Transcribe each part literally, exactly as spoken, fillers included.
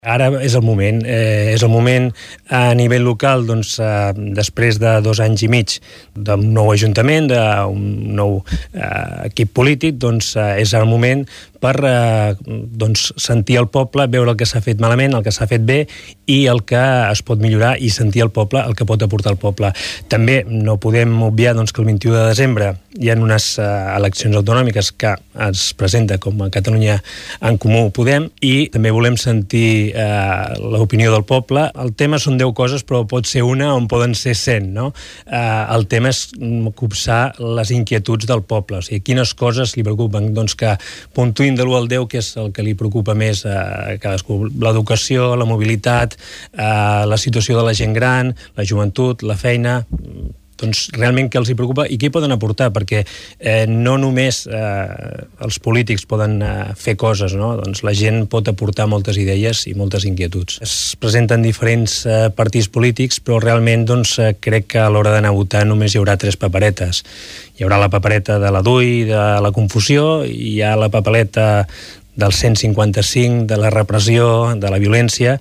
Ara és el moment, eh, és el moment a nivell local, doncs, eh, després de dos anys i mig d'un nou ajuntament, d'un nou eh, equip polític, doncs eh, és el moment per eh, doncs, sentir el poble, veure el que s'ha fet malament, el que s'ha fet bé i el que es pot millorar i sentir el poble, el que pot aportar el poble. També no podem obviar doncs, que el vint-i-u de desembre hi ha unes eh, eleccions autonòmiques que es presenta com a Catalunya en Comú Podem i també volem sentir eh, l'opinió del poble. El tema són deu coses, però pot ser una on poden ser cent, no? Eh, el tema és copsar les inquietuds del poble, o sigui, quines coses li preocupen, doncs que puntuïn de l'u al deu, que és el que li preocupa més a cadascú. L'educació, la mobilitat, eh, la situació de la gent gran, la joventut, la feina, doncs realment què els hi preocupa i què hi poden aportar, perquè eh, no només eh, els polítics poden eh, fer coses, no? Doncs la gent pot aportar moltes idees i moltes inquietuds. Es presenten diferents eh, partits polítics, però realment doncs, eh, crec que a l'hora d'anar a votar només hi haurà tres paperetes. Hi haurà la papereta de la D U I, de la confusió, i hi ha la papeleta del cent cinquanta-cinc, de la repressió, de la violència,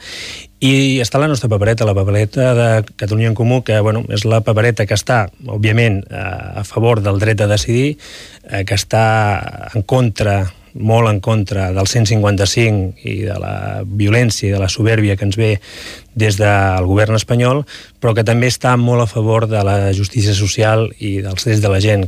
i està la nostra papereta, la papereta de Catalunya en Comú, que bueno, és la papereta que està, òbviament, a favor del dret a decidir, que està en contra, molt en contra del cent cinquanta-cinc i de la violència i de la supèrbia que ens ve des del govern espanyol, però que també està molt a favor de la justícia social i dels drets de la gent.